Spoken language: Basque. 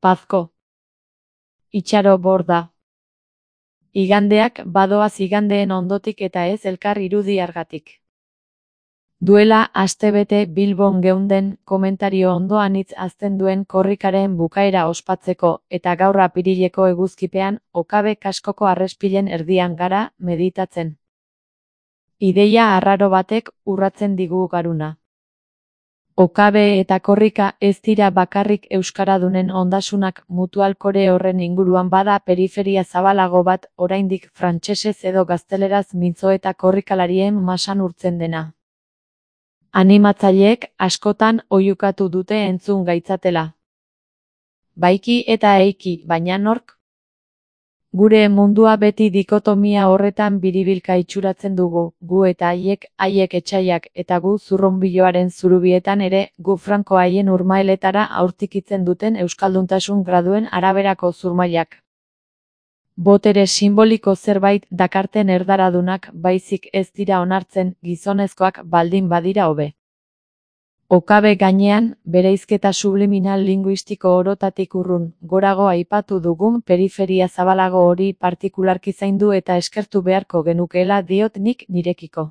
Pazko. Itxaro borda. Igandeak badoaz igandeen ondotik eta ez elkar irudiargatik. Duela astebete Bilbon geunden komentario ondoan hitz azten duen korrikaren bukaera ospatzeko eta gaur apirileko eguzkipean Okabe kaskoko arrespilen erdian gara meditatzen. Ideia arraro batek urratzen digu garuna. Okabe eta korrika ez dira bakarrik euskaradunen ondasunak, mutualkore horren inguruan bada periferia zabalago bat oraindik frantsesez edo gazteleraz mintzo eta korrikalarien masan urtzen dena. Animatzaileek askotan oihukatu dute entzun gaitzatela. Baiki eta eiki, baina nork? Gure mundua beti dikotomia horretan biribilka itxuratzen dugu, gu eta haiek etsaiak, eta gu zurrunbiloaren zurubietan ere, gu franko haien urmailetara aurtikitzen duten euskalduntasun graduen araberako zurmailak. Botere simboliko zerbait dakarten erdaradunak baizik ez dira onartzen, gizonezkoak baldin badira hobe. Okabe gainean, bereizketa subliminal linguistiko orotatik urrun, gorago aipatu dugun periferia zabalago hori partikularki zaindu eta eskertu beharko genukeela diot nik nirekiko.